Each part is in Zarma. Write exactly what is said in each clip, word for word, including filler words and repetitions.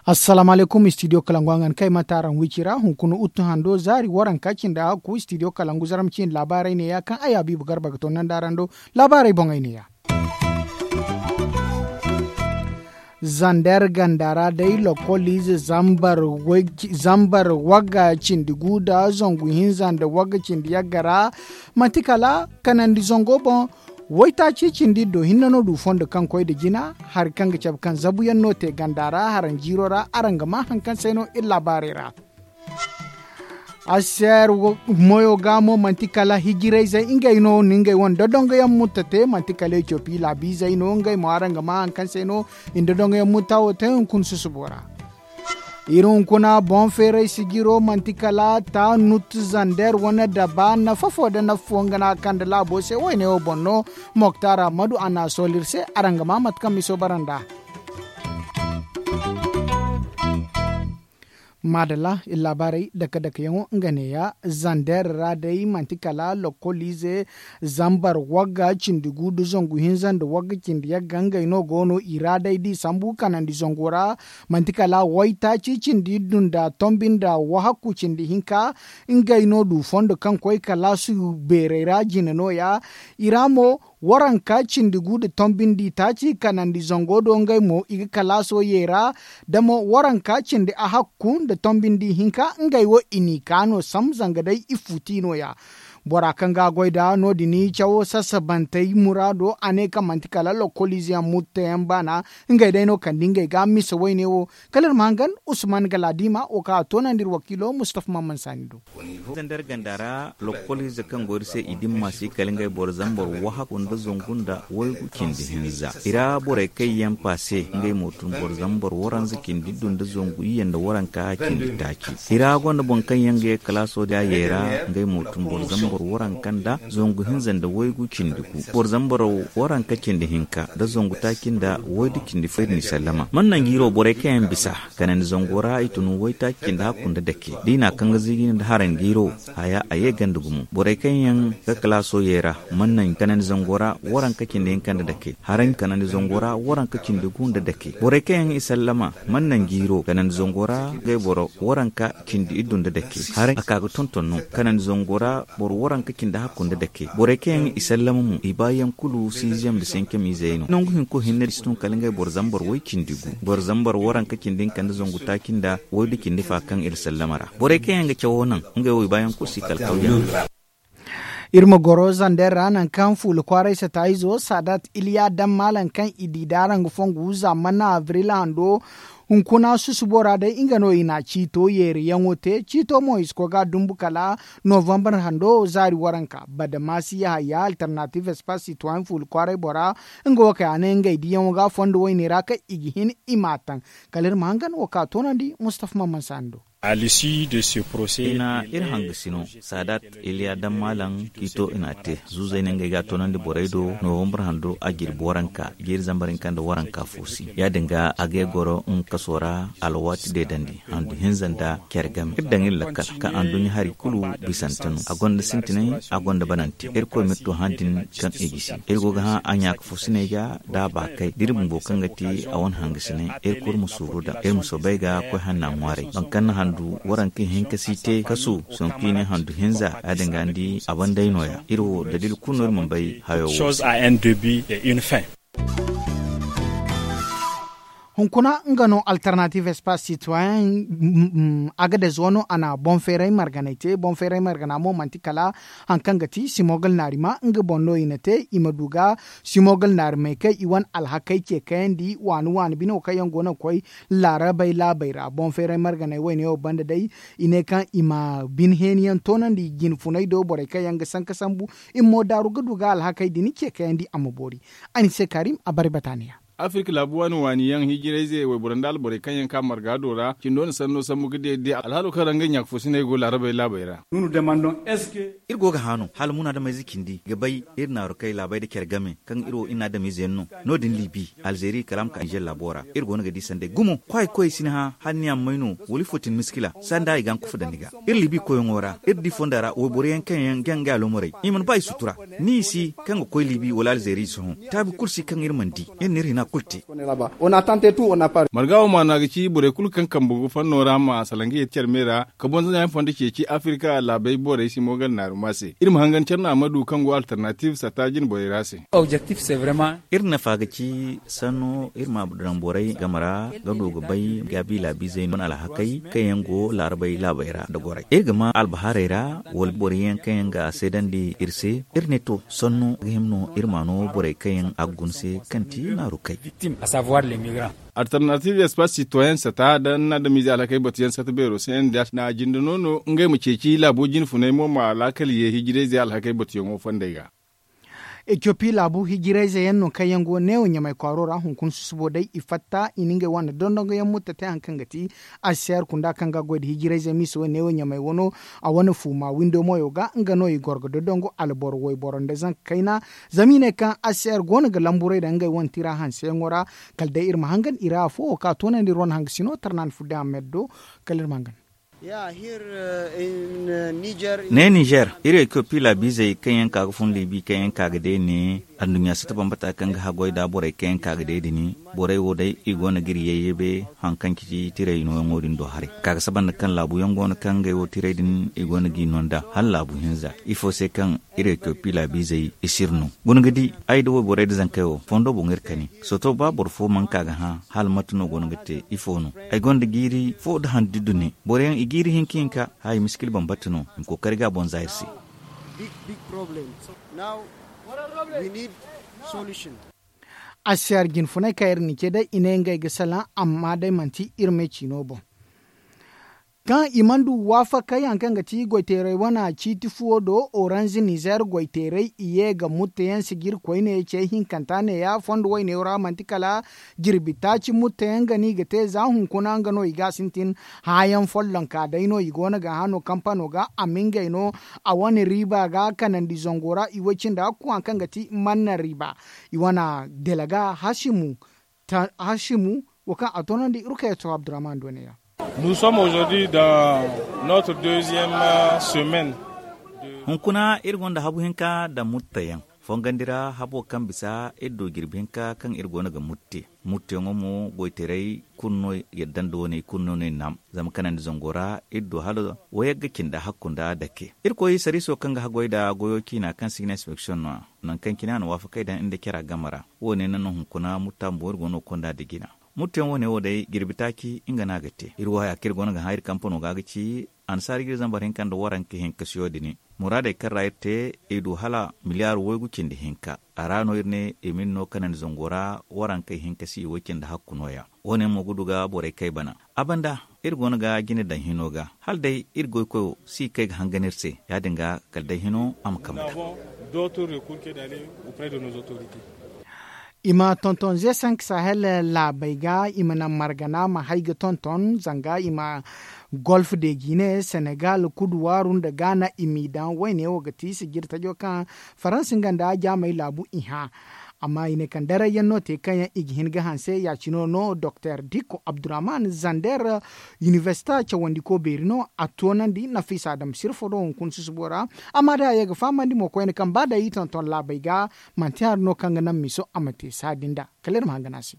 Assalaamu alaykum, istidiyo kalangu a ga ni kay mate araŋ wiici ra hunkuna uttu hando zaari waranka cindi a hakku istidiyo kalangu zaram ciine laabaarey neeya kaŋ ay habiibu garba ga to nanda araŋ do. Laabaarey boŋey neeya. Zander ganda ra day lokol ize zambar wagga cindi gu nda zangu hinza nda wagga cindi yagga ra. Manti kala kanandi zango boŋ waytaaci cindi iddo hinne no du fondo kaŋ koy nda jina hari kaŋ ga cabe kaŋ zabuyaŋ no te ganda ra haraŋ jiiro ra araŋ ga maa hari kaŋ se no iri laabaarey ra. Aser moyo ga mo manti kala hijirayzey ngey no na ngey wane dodongoyaŋ mutta te manti kala etiyopi laabiizey no ngey mo araŋ ga maa hari kaŋ se no i na dodongoyaŋ mutta wo te hunkuna susubo ra. Iri hunkuna boŋ feeray sijiro manti kala ta nut zander wane daba nafa fo nda nafa fo nga no a kande laabo se wayne wo boŋ no. Moktar ammadu a na a soolu iri se araŋ ga maa mate kaŋ miso bara nd'a. Maadalla iri laabaarey dake dakeyaŋo nga neeya. Zander ra day manti kala lokol ize zambar wagga cindi gu nda zangu hinza nda wagga cindi yagga ngey no go no i ra day da i sambu kanandi zango ra. Manti kala waytaaci cindi iddu nda tombi nda wahakku cindi hinka ngey no du fondo kaŋ koy kalaasu beerey ra jine nooya. I ra mo waranka cindi gu nda tombi nda i taaci kanandi zango do ngey mo i ga kalaaso yeera. Da mo waranka cindi ahakku nda tombi nda i hinka ngey wo i n'i ka no sam zanga day i futi nooya. Bora kaŋ ga a goy nd'a no- din i cawo sasabantey muraado a ne kaŋ manti kala lokoliize yaŋ mutteyaŋ baana. Ngey day no kande ngey ga misa wayne wo. Kala iri ma hangan usman galaadiima wo kaŋ a toonandi iri wakiilo mustafa maman saani do. Zander ganda ra lokoliize kaŋ go iri se i dimma se kala ngey boro zambar wahakku nda zangu nda waygu cindi hinza i ra borey kaŋ yaŋ paase ngey mo tun boro zambar waranza cindi du nda zangu iyye nda waranka cindi taaci. I ra gonda boŋ kaŋ yaŋ ga ye kalaaso da ye ra ngey mo tun boro zambar waranka nda zangu hinza nda waygu cindi gu boro zambar waranka cindi hinka nda zangu taaci nda waydu cindi fo iri n'i sallama man nangu iri wo borey kaŋ yaŋ bisa kanandi zango ra i tun waytaaci cindi hakku nda dake da i n'a kaŋ ga ziijini nda haranjiiro. Haya a ye ganda gumo borey kaŋ yaŋ ga kalaaso ye ra man naŋ kanandi zango ra waranka cindi hinka nda dake haranji kanandi zango ra waranka cindi gu nda dake borey kaŋ yaŋ i sallama man naŋ jiiro kanandi zango ra ngey boro waranka cindi iddu nda dake haranji a ka ga tonton no kanandi zango ra boro waranka cindi hakku nda dake borey kaŋ yaŋ i sallama mo i baayaŋ kulu siiziyam nda senkamiizey no nangu hinko hinne da si tun kala ngey boro zambar way cindi gu boro zambar waranka cindi hinka nda zangu taaci nda waydu cindi fa kaŋ iri sallama ra borey kaŋ yaŋ ga cawo naŋ ngey wo i baayaŋ kulu si kala kawyaŋ. Iri ma goro zander ra nangu kaŋ fuula kwaaray sata izo saadat iliya daŋ maalaŋ kaŋ i di daara nga fongu za manna abril hando. Hunkuna susubo ra day nga no i na ciito yeeriyaŋo te ciito mo i si koy ga dumbu kala novambar hando zaari waranka badamasi yahaya alternative espace citoyen fuula kwaaray bora. Nga wo kay a ne ngey diyaŋo ga fondo wayne ra kaŋ i ga hin i m'a taŋ. Kala iri ma hangan wo ka toonandi mustafa maman saani do. I na iri hangasino saadat iliya daŋ maalaŋ ciito i n'a te zuuzey ne ngey ga a toonandi borey do novambar hando a jirbi waranka jiiri zambar hinka nda waranka fo si ya-din ga a ga ay goro nga kaso ra alwaati deedandi handu hinza nda care game iri daŋ iri lakkal kaŋ anduɲɲa hari kulu bisante no a gonda sintinay a gonda banante irkoy m'iri to hã din kaŋ i gisi iri go ga hã a ɲaaka fursiney ga da a baakay da iri bumbo kaŋ ga ti a wane hangasinay iri kulu ma suuru daŋ iri ma soobay ga koy hanna ŋwaaray boro kaŋ na handu waranka hinka si te kasu sonku i ne handu hinza ya-din ga ni di a banday nooya iri wo daliila kulu no iri mana bay hayo wo se. Hunkuna nga no alternative espace citoyen. Agadez wano a na boŋ feeray marganay te boŋ feeray margana mo manti kala hari kaŋ ga ti simogal naari ma nga boŋ no i na te i ma du ga simogal naari may kaŋ i wane alhakey ce kayandi waani waani bine wo kaŋ yaŋ go no ga koy laarabey laabey ra boŋ feeray marganay wayne wo banda day i ne kaŋ i ma bine heeni yaŋ toonandi jinfunay do borey kaŋ yaŋ ga sanka sambu i ma mo daaru ga du ga alhakey din ce kayandi a ma boori. A ni se karim a bare bataaniya. Afirka laabu waani waani yaŋ hijirayze wayboro nda alborey kaŋ yaŋ ka marga do ra cindo na sanno sambu ga deede alhaalo kaŋ ra ngey ɲaakafoosiney go laarabey laabey ra. Iri go ga hã no hala munaadamayze cindi ga bay iri naarukey laabey nda care game kaŋ iri wo iri na adamiize yaŋ no. No- din libi, alzeeri kala a ma ka nizer laabo ra. Iri go no ga di sanday gumo kwaayi koyey si ni hã hala ni a ma may no wala ifo tin miskila sanda i ga a ma kufa daŋ ni ga. Iri libi koyyaŋo ra iri di fonda ra wayboro yaŋ kaŋ yaŋ ga ngey alomorey i mana ba i sutura. Ni i si kaŋ ga koy libi wala alzeeri i si hõ. Taabi kulu si kaŋ iri mana di. Iri na iri hina kulu te. Marga wo maana ga ci borey kulu kaŋ kambe go fanno ra ma salaŋ ga ye care me ra ka bonza ɲaani fondo ceeci afirka laabey borey si mo ganda naaruma se iri ma hangan care naama du kaŋ go alternative satta jine borey ra se. Iri nafa ga ci sanno iri ma daŋ borey game ra ga du ga bay gaabi laabiizey no wane alhakey kaŋ yaŋ go laarabey laabey ra nda gorey iri ga ma albahaarey ra wala borey yaŋ kaŋ yaŋ ga seedandi iri se. Iri ne to sanno ga hima no iri ma no borey kaŋ yaŋ a ga guna se kaŋ ti naarukey. Alternative espace citoyen sata da ni na adamiize alhakey batuyaŋ sata beero se yaŋ da na jinde no no ngey ma ceeci laabo jine funay mo ma laakal ye hijirayze alhakey batuyaŋo fondey ga. Etiyopi laabu hijirayze yaŋ no kaŋ yaŋ go neewo ɲamay kwaaro ra hunkuna susubo day i fatta i na ngey wane dondongo yaŋ mutta te hari kaŋ ga ti aseer kunda kaŋ ga goy nda hijirayze miisa wo neewo ɲamay wano. A wane fuuma windo moyo ga nga no i goro ga dondongo alboro wayboro nda zanka kayna. Zama i ne kaŋ aseer go no ga lamburay daŋ ngey wane tira hanseyaŋo ra. Kala day iri ma hangan i ra afo wo kaŋ a toonandi iri wane hangasino tarnaan fudde amed do. Kala iri ma hangan. Ne nizer iri etiyopi laabiizey kaŋ yaŋ ka ga fun libi kaŋ yaŋ ka ga day ne. Anduɲɲa sata bambata kaŋ ga haggoy nda borey kaŋ yaŋ ka ga day din borey wo day i go no ga iri yayyabe. Hari kaŋ ci tiray nooyaŋo din do haray ka ga saba nda kaŋ laabu yaŋ go no kaŋ ngey wo tiray din i go no g'i no nd'a hala laabu hinza ifo se kaŋ iri etiyopi laabiizey i si iri no. Guna ga di ay nda wayborey nda zankey wo fondo boŋ iri kani. Soto ba boro fo mana ka ga hã hala mate no go no ga te ifo no? Ay gonda jiiri fo nda handi dune boro yaŋ i jiiri hinka hinka haya miskil bambata no i ma kookari ga a boŋ za iri se. Asiyar jinfunay kaŋ iri na ce day i ne ngey ga salaŋ amma day manti iri me ciino boŋ. Kaŋ i mana du waafakey hari kaŋ ga ti goyteeray wane ciiti fuwo do oranz nizer goyteeray i ye ga mutteyaŋ sijiri koyne ce hinkanta neeya fondo wayneyaŋ ra manti kala jirbi taaci mutteyaŋ ga no i ga te za hunkuna nga no i ga a sintin. Hããyaŋ follonka day no i go no ga hã no kampano ga a ma ngey no a wane riiba ga kanandi zango ra i way cindi hakku hari kaŋ ga ti manna riiba. I wane delaga hasimu wo kaŋ a toonandi rukayato abdurrahman do ne ya. Nous sommes aujourd'hui dans notre deuxième semaine. Hunkuna iri gonda habu hinka nda muttayaŋ fongandi ra habo kaŋ bisa iri du jirbi hinka kaŋ iri go no ga mutte. Mutteyaŋo mo goytaray kulu no yadda nda wane i kulu no no i naam. Zama kanandi zango ra iri du hala wayagga cindi hakku nda dake irkoy sariiso kaŋ ga haggoy nda goyo ciina kaŋ se i ga ne inspeksiyoŋ no a nangu kaŋ cine a na waafakey daŋ iri nda cara game ra. Wo- ne naŋ no hunkuna mutta bumbo iri go no ga konda nda jina. Mutteyaŋ wo- ne wo day jirbi taaci nga no a ga te iri wo haya kaŋ iri go no ga hã iri kampano ga ga ci annasaara ga iri zambar hinka nda waranka hinkasiyo din. Muraadey kaŋ ra iri te i du hala miliyaar waygu cindi hinka. A ra no iri ne i ma iri no kanandi zango ra warankey hinkasi i way cindi hakku nooya. Wo- ne mo ga du ga borey kay bana. A banda iri go no ga jine daŋ hino ga hala day iri goykoyo si kay ga hangan iri se. Ya- din ga kala day hino a ma kambe da. I ma tonton ze sank sahel laabey ga i ma naŋ margana ma hay ga tonton zanga i ma golf de guinée senegal kuduwaaru nda gaana i m'i daŋ wayne wo ga ti sijiri tajo kaŋ faransi nga nda jaamey laabu i hã. Amma i ne kaŋ darayyaŋ no te kaŋ yaŋ i ga hin ga hanse ya- cino no doktor dikko abdurrahman zander. Inibersita cawandiko beeri no a toonandi nafisa dam sirfo do hunkuna susubo ra. Amma day a ye ga fahamandi mo koyne kaŋ ba day i tonton laabey ga manti hari no kaŋ ga naŋ miso a ma te saadi nda kala iri ma hangan a se.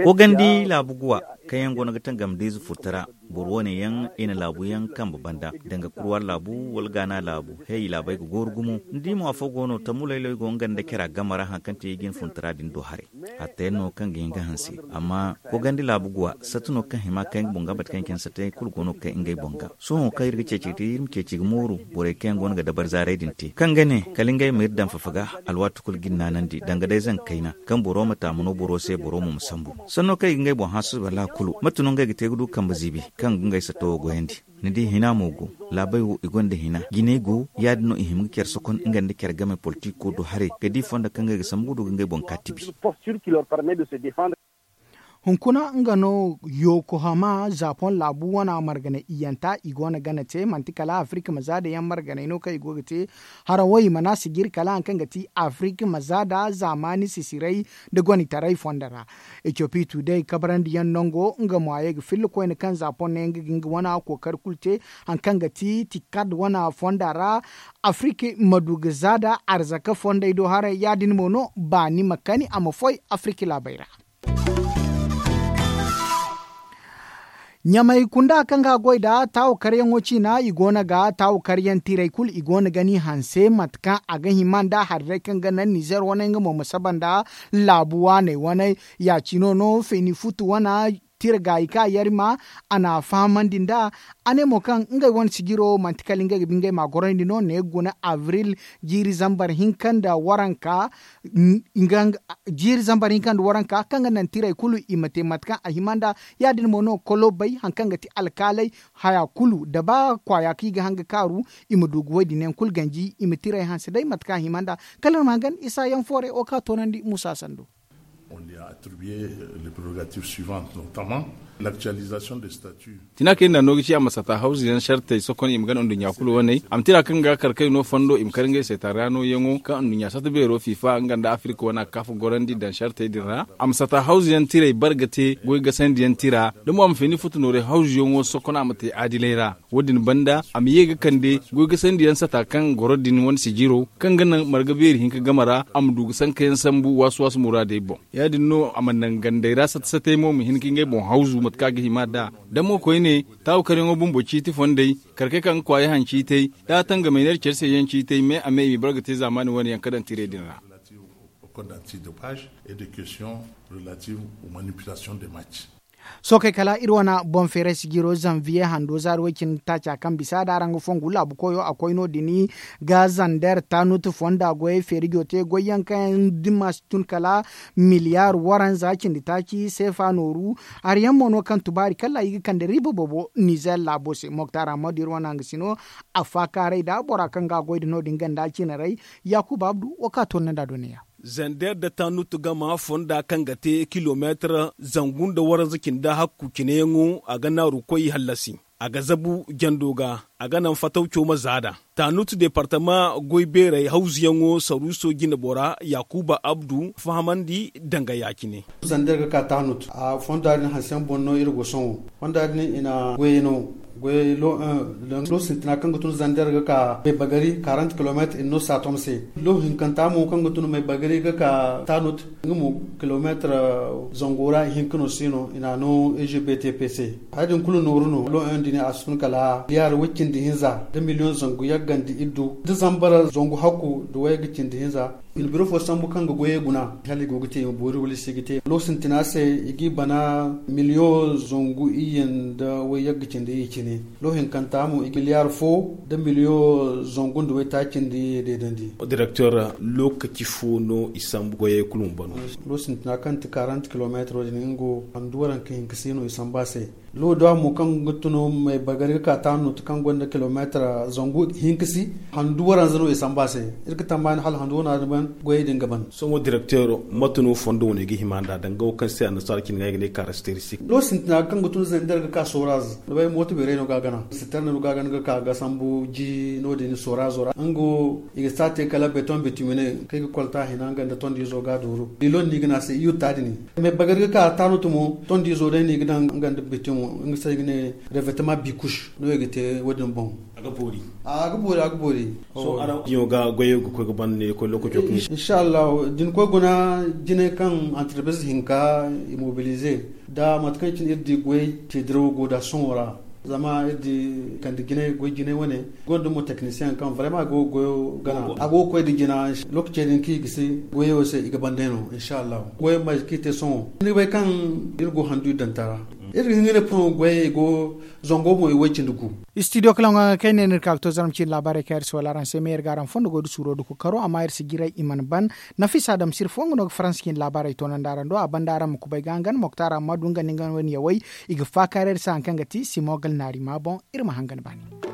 Kogandi laabu guwa kaŋ yaŋ go no ga tangam da ize furta ra. Boro wane yaŋ i na laabu yaŋ kambe banda danga kurwa laabu wala gaana laabu. Hey laabey ga gooru gumo ni di mo afo go no tammu laylay go nga nda cara game ra hari kaŋ te i ga hin furta ra din do haray. Hatta yaŋ no kaŋ ga hin ga hanse amma kogandi laabu guwa sata no kaŋ hima kay nga boŋ ga bate kaŋ i ga hin sata yaŋ kulu go no ga kay ngey boŋ ga. Sohõ kaŋ iri ga ceeci ga te iri ma ceeci ga mooru borey kaŋ yaŋ go no ga dabari zaaray din te kaŋ ga ne kala ngey ma iri daŋ fafa ga. Alwaati kulu I naanandi danga day zanga kayna kaŋ boro ma taamu no boro se boro mo ma sambu. Sanno kaŋ i ga ngey boŋ hã suba laakulu mate no ngey ga te ga du kambe ziibi kaŋ ga ngey satta wo goyandi? Ni di hina mo go. Laabey wo i gonda hina jinay go ya- din no i hima ga care sokon nga nda care game politiko do haray ga di fondo kaŋ ngey ga sambu ga du ga ngey boŋ ka tibi. Hunkuna nga no yokohama zapon laabu wana marganay iyanta i go no gana te manti kala afirka ma zaada yaŋ marganay no kaŋ i go ga te. Harawo i mana sijiri kala hari kaŋ ga ti afirka ma zaada zaamaani sisiray nda gonitaray fondo ra. Etiyopi tuuday kabarandi yaŋ nango nga mo a ye ga filla koyne kaŋ zapon ne nga ga nga wana kookari kulu te. Hari kaŋ ga ti tikad wana fonda ra afirka ma du ga zaada arzaka fondey do haray ya- din mo no baani ma kani a ma foy afirka laabey ra. Ɲamay kunda kaŋ ga goy nda taawu karyaŋo ciina i go no ga taawu karyaŋ tiray kulu i go no ga ni hanse mate kaŋ a ga hima nda hari day kaŋ ga naŋ nizer wane nga mo ma saba nda laabu waaney wane. Ya- cino no feeni futu wane tira gaayi kaŋ a yarima a na a fahamandi nd'a. A ne mo kaŋ ngey wane sijiro manti kala ngey ga ba ngey ma a gorandi no ne ga guna abril jiiri zambar hinka nda waranka. Jiiri zambar hinka nda waranka kaŋ ga naŋ tirey kulu i ma te mate kaŋ a hima nd'a. Ya- din mo no kolobey hari kaŋ ga ti alkaaley haya kulu da ba kwaaya kaŋ i ga haŋ ga kaaru i ma du ga woy din yaŋ kulu ganji i ma tirey hanse day mate kaŋ a hima nd'a. Kala iri ma haŋ ga ni isa yaŋ foore wo kaŋ a toonandi musa sando. Tina kaŋ iri na no ga ci a ma sata hawzu yaŋ sartey sokon i ma gana nduɲɲa kulu wane a ma tira kaŋ ga kar kay no fondo i ma kar ngey se taara no yaŋo kaŋ nduɲɲa sata beero fifa nga nda afirka wane a ga kaafa gorandi daŋ sartey din ra. A ma sata hawzu yaŋ tirey bar ga te goy gasandi yaŋ tira da mo a ma feeni futu nooray hawzu yaŋo sokon a ma te aadilay ra. Wo- din banda a ma ye ga kande goy gasandi yaŋ sata kaŋ goro din wane sijiro kaŋ ga naŋ marga beeri hinka game ra a ma du ga sanka yaŋ sambu waasu waasu muraadey boŋ. Ya- din no a ma naŋ gandey ra sata satey mo ma hin ka ngey boŋ hawzu mate kaŋ a ga hima nd'a. Da mo koyne taawu karyaŋo bumbo ciiti fondey kar kay kaŋ ga kwaaya haŋ ciitey da a tangamey ne care se yaŋ ciitey me a me i ma bar ga te zaamaani wane yaŋ ka daŋ tirey din ra. Sookey kala iri wane boŋ feeray sijiro zanviye hando zaari way- cindi taaca kaŋ bisa da araŋ ga fongu laabu koyo a koy no- din ga zander tanutu fonda goyey feerijo te goy yaŋ kaŋ yaŋ dimma si tun kala miliyar waranza cindi taaci seefa nooru. Hari yaŋ mo no kaŋ tubaari kala i ga kande riiba boobo nizer laabo se moktar ammadu iri wane hangasino. Affaakaaray nda bora kaŋ ga a goy nda no- din ganda cinaray. Yaakuba abdu wo kaŋ a toonandi a do neeya. Zander nda tanutu gama fonda kaŋ ga te kilomeetar zangu nda waranza cindi hakku cineyaŋo a ga naaru koy hallasi. A ga zabu jando ga a ga naŋ fatawco ma zaada. Tanutu departama goy beeray hawzuyaŋo saruuso jine bora yaakuba abdu fahamandi danga ya- cine. Zander ga ka tanutu a fonda din hanse yaŋ boŋ no iri go sohõ. Fonda din i na goyey no goyey lo un. Lo sintina kaŋ ga tun zander ga ka maybagari karant kilomeetar i na no saatom se. Lo hinkanta mo kaŋ ga tun maybagari ga ka tanut nga mo kilomeetar zango ra i hinka no si no i na a no e g b t p se. Haya din kulu nooru no lo un din a si tun kala liyaar way- cindi hinza da miliyoŋ zangu yaggandi iddu da zambar zangu hakku da wayga cindi hinza. I na biro fo sambu kaŋ ga goyey guna hala i go ga te i ma boori wala i si ga te lo sintina se i g'i bana miliyoŋ zangu iyye nda wayyagga cindi iyye cine. Lo hinkanta mo i ga miliyaar fo nda miliyoŋ zangu nda waytaaci nda iyye deedandi. Direktor, lookaci fo no i sambu goyey kulu ma bano? Lo sintina kaŋ ti karant kilomeetaro din nga wo handu waranka hinka si no i sambu a se. Lo da mo kaŋ ga tun maybagari ga ka taanu ti kaŋ gonda kilomeetar zangu hinka si. Handu waranza no i samba se. Iri ga tammaani hala handu wana din ban goyey din ga ban. Sohõ direkteero, mate no fondo wane ga hima nd'a danga wo kaŋ se annasaara cine ga ay ga ne karakteristik? Lo sintina kaŋ ga tun zander ga ka sooraz ni bay mooto beerey no ga a gana siterne no ga a gana ga ka ga sambu ji no- din soorazo ra nga wo i ga si a te kala beton bitumine kaŋ i ga kolta hina nga nda tondiizo ga a dooru. Lilon no i ga ne a se i yutta din. Maybagari ga ka taanu ti mo tondiizo day no i ga daŋ nga nda bitum nga se i ga ne revetema bikush no i ga te wo- din boŋ. A ga boori a ga boori a ga boori. Sohõ araŋ diyaŋo ga goyey ga koy ga ban ne ga koy lookaco kaŋ i si. Insa allahu da ni koy guna jinay kaŋ antarbiz hinka i mobilize nda mate kaŋ cine iri di goy ce dirawo go nd'a sohõ ra. Zama iri di kande jinay goy jinay wane gonda mo teknisiyeŋ kaŋ vrema a go ga goyo gana a go ga koy nda jina. Lookace din kaŋ i ga si goyey wo se i ga ban day no insa allahu goyey ma kaŋ i te sohõ ni ga bay kaŋ iri go handu iri danta ra. Iri ga hin ga ne purmo goyey go zango boŋ i way cindi gu. Istidiyo kala ŋwa ga kayna no iri ka ga to zarma ciine laabaarey kaŋ iri si wala araŋ se me iri ga araŋ fondo goy da suuro da kookaro amma iri si jiray i mana ban. Nafisa adamsir fo nga no ga faransa ciine laabaarey toonandi araŋ do a banda araŋ ma kubay ga hangan moktaara amma du nga nda nga wane yawey. I ga faakaara iri se hari kaŋ ga ti simo gal naari ma boŋ. Iri ma hangan baani.